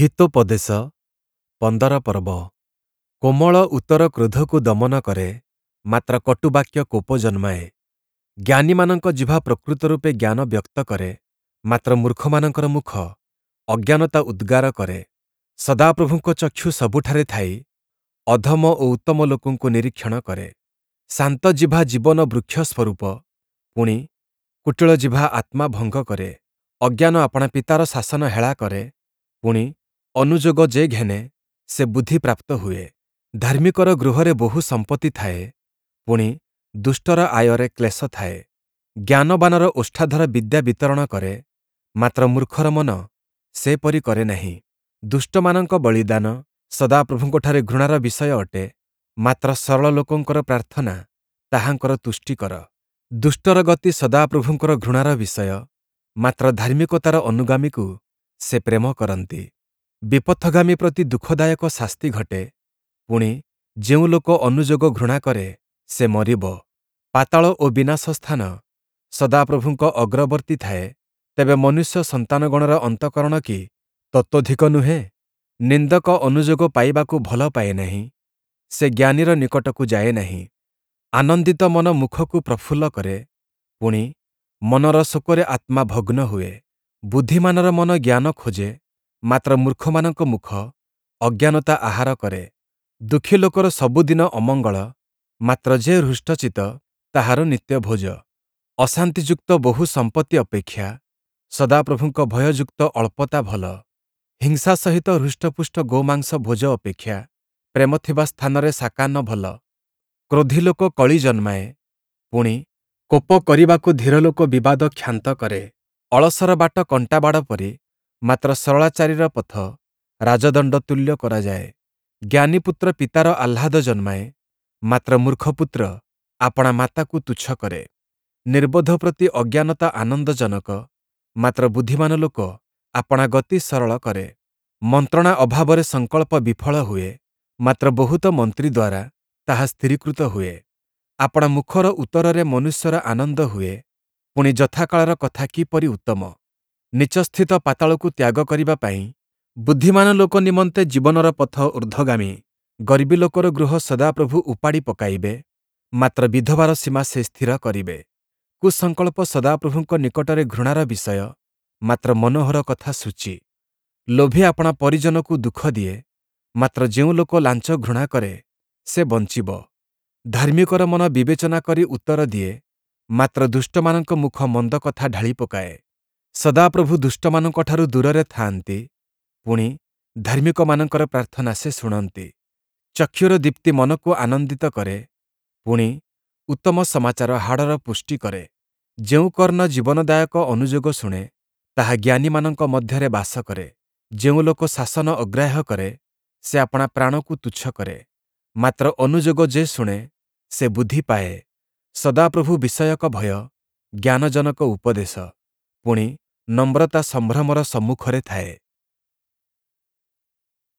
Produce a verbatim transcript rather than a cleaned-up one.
ହିତୋପଦେଶ ପନ୍ଦର ପର୍ବ। କୋମଳ ଉତ୍ତର କ୍ରୋଧକୁ ଦମନ କରେ, ମାତ୍ର କଟୁବାକ୍ୟ କୋପ ଜନ୍ମାଏ। ଜ୍ଞାନୀମାନଙ୍କ ଜିହ୍ବା ପ୍ରକୃତ ରୂପେ ଜ୍ଞାନ ବ୍ୟକ୍ତ କରେ, ମାତ୍ର ମୂର୍ଖମାନଙ୍କର ମୁଖ ଅଜ୍ଞାନତା ଉଦ୍ଗାର କରେ। ସଦାପ୍ରଭୁଙ୍କ ଚକ୍ଷୁ ସବୁଠାରେ ଥାଇ ଅଧମ ଓ ଉତ୍ତମ ଲୋକଙ୍କୁ ନିରୀକ୍ଷଣ କରେ। ଶାନ୍ତ ଜିହ୍ବା ଜୀବନ ବୃକ୍ଷ ସ୍ୱରୂପ, ପୁଣି କୁଟିଳ ଜିହ୍ବା ଆତ୍ମା ଭଙ୍ଗ କରେ। ଅଜ୍ଞାନ ଆପଣା ପିତାର ଶାସନ ହେଳା କରେ, ପୁଣି ଅନୁଯୋଗ ଯେ ଘେନେ ସେ ବୁଦ୍ଧି ପ୍ରାପ୍ତ ହୁଏ। ଧାର୍ମିକର ଗୃହରେ ବହୁ ସମ୍ପତ୍ତି ଥାଏ, ପୁଣି ଦୁଷ୍ଟର ଆୟରେ କ୍ଲେଶ ଥାଏ। ଜ୍ଞାନବାନର ଓଷ୍ଠାଧର ବିଦ୍ୟା ବିତରଣ କରେ, ମାତ୍ର ମୂର୍ଖର ମନ ସେପରି କରେ ନାହିଁ। ଦୁଷ୍ଟମାନଙ୍କ ବଳିଦାନ ସଦାପ୍ରଭୁଙ୍କଠାରେ ଘୃଣାର ବିଷୟ ଅଟେ, ମାତ୍ର ସରଳ ଲୋକଙ୍କର ପ୍ରାର୍ଥନା ତାହାଙ୍କର ତୁଷ୍ଟିକର। ଦୁଷ୍ଟର ଗତି ସଦାପ୍ରଭୁଙ୍କର ଘୃଣାର ବିଷୟ, ମାତ୍ର ଧାର୍ମିକତାର ଅନୁଗାମୀକୁ ସେ ପ୍ରେମ କରନ୍ତି। ବିପଥଗାମୀ ପ୍ରତି ଦୁଃଖଦାୟକ ଶାସ୍ତି ଘଟେ, ପୁଣି ଯେଉଁ ଲୋକ ଅନୁଯୋଗ ଘୃଣା କରେ, ସେ ମରିବ। ପାତାଳ ଓ ବିନାଶ ସ୍ଥାନ ସଦାପ୍ରଭୁଙ୍କ ଅଗ୍ରବର୍ତ୍ତୀ ଥାଏ, ତେବେ ମନୁଷ୍ୟ ସନ୍ତାନଗଣର ଅନ୍ତଃକରଣ କି ତତୋଽଧିକ ନୁହେଁ? ନିନ୍ଦକ ଅନୁଯୋଗ ପାଇବାକୁ ଭଲ ପାଏ ନାହିଁ, ସେ ଜ୍ଞାନୀର ନିକଟକୁ ଯାଏ ନାହିଁ। ଆନନ୍ଦିତ ମନ ମୁଖକୁ ପ୍ରଫୁଲ୍ଲ କରେ, ପୁଣି ମନର ଶୋକରେ ଆତ୍ମା ଭଗ୍ନ ହୁଏ। ବୁଦ୍ଧିମାନର ମନ ଜ୍ଞାନ ଖୋଜେ, ମାତ୍ର ମୂର୍ଖମାନଙ୍କ ମୁଖ ଅଜ୍ଞାନତା ଆହାର କରେ। ଦୁଃଖୀ ଲୋକର ସବୁଦିନ ଅମଙ୍ଗଳ, ମାତ୍ର ଯେ ହୃଷ୍ଟଚିତ୍ତ ତାହାର ନିତ୍ୟ ଭୋଜ। ଅଶାନ୍ତିଯୁକ୍ତ ବହୁ ସମ୍ପତ୍ତି ଅପେକ୍ଷା ସଦାପ୍ରଭୁଙ୍କ ଭୟଯୁକ୍ତ ଅଳ୍ପତା ଭଲ। ହିଂସା ସହିତ ହୃଷ୍ଟପୁଷ୍ଟ ଗୋମାଂସ ଭୋଜ ଅପେକ୍ଷା ପ୍ରେମ ଥିବା ସ୍ଥାନରେ ଶାକାନ୍ନ ଭଲ। କ୍ରୋଧୀ ଲୋକ କଳି ଜନ୍ମାଏ, ପୁଣି କୋପ କରିବାକୁ ଧୀର ଲୋକ ବିବାଦ କ୍ଷାନ୍ତ କରେ। ଅଳସର ବାଟ କଣ୍ଟାବାଡ଼ ପରି, ମାତ୍ର ସରଳାଚାରୀର ପଥ ରାଜଦଣ୍ଡ ତୁଲ୍ୟ କରାଯାଏ। ଜ୍ଞାନୀପୁତ୍ର ପିତାର ଆହ୍ଲାଦ ଜନ୍ମାଏ, ମାତ୍ର ମୂର୍ଖପୁତ୍ର ଆପଣା ମାତାକୁ ତୁଚ୍ଛ କରେ। ନିର୍ବୋଧ ପ୍ରତି ଅଜ୍ଞାନତା ଆନନ୍ଦଜନକ, ମାତ୍ର ବୁଦ୍ଧିମାନ ଲୋକ ଆପଣା ଗତି ସରଳ କରେ। ମନ୍ତ୍ରଣା ଅଭାବରେ ସଂକଳ୍ପ ବିଫଳ ହୁଏ, ମାତ୍ର ବହୁତ ମନ୍ତ୍ରୀ ଦ୍ୱାରା ତାହା ସ୍ଥିରୀକୃତ ହୁଏ। ଆପଣା ମୁଖର ଉତ୍ତରରେ ମନୁଷ୍ୟର ଆନନ୍ଦ ହୁଏ, ପୁଣି ଯଥାକାଳର କଥା କିପରି ଉତ୍ତମ! ନୀଚସ୍ଥିତ ପାତାଳକୁ ତ୍ୟାଗ କରିବା ପାଇଁ ବୁଦ୍ଧିମାନ ଲୋକ ନିମନ୍ତେ ଜୀବନର ପଥ ଊର୍ଦ୍ଧ୍ୱଗାମୀ। ଗର୍ବୀ ଲୋକର ଗୃହ ସଦାପ୍ରଭୁ ଉପାଡ଼ି ପକାଇବେ, ମାତ୍ର ବିଧବାର ସୀମା ସେ ସ୍ଥିର କରିବେ। କୁସଂକଳ୍ପ ସଦାପ୍ରଭୁଙ୍କ ନିକଟରେ ଘୃଣାର ବିଷୟ, ମାତ୍ର ମନୋହର କଥା ଶୁଚି। ଲୋଭୀ ଆପଣା ପରିଜନକୁ ଦୁଃଖ ଦିଏ, ମାତ୍ର ଯେଉଁ ଲୋକ ଲାଞ୍ଚ ଘୃଣା କରେ, ସେ ବଞ୍ଚିବ। ଧାର୍ମିକର ମନ ବିବେଚନା କରି ଉତ୍ତର ଦିଏ, ମାତ୍ର ଦୁଷ୍ଟମାନଙ୍କ ମୁଖ ମନ୍ଦ କଥା ଢାଳି ପକାଏ। ସଦାପ୍ରଭୁ ଦୁଷ୍ଟମାନଙ୍କଠାରୁ ଦୂରରେ ଥାଆନ୍ତି, ପୁଣି ଧାର୍ମିକମାନଙ୍କର ପ୍ରାର୍ଥନା ସେ ଶୁଣନ୍ତି। ଚକ୍ଷୁର ଦୀପ୍ତି ମନକୁ ଆନନ୍ଦିତ କରେ, ପୁଣି ଉତ୍ତମ ସମାଚାର ହାଡ଼ର ପୁଷ୍ଟି କରେ। ଯେଉଁ କର୍ଣ୍ଣ ଜୀବନଦାୟକ ଅନୁଯୋଗ ଶୁଣେ, ତାହା ଜ୍ଞାନୀମାନଙ୍କ ମଧ୍ୟରେ ବାସ କରେ। ଯେଉଁ ଲୋକ ଶାସନ ଅଗ୍ରାହ୍ୟ କରେ, ସେ ଆପଣା ପ୍ରାଣକୁ ତୁଚ୍ଛ କରେ, ମାତ୍ର ଅନୁଯୋଗ ଯେ ଶୁଣେ, ସେ ବୁଦ୍ଧି ପାଏ। ସଦାପ୍ରଭୁ ବିଷୟକ ଭୟ ଜ୍ଞାନଜନକ ଉପଦେଶ, ପୁଣି ନମ୍ରତା ସମ୍ଭ୍ରମର ସମ୍ମୁଖରେ ଥାଏ।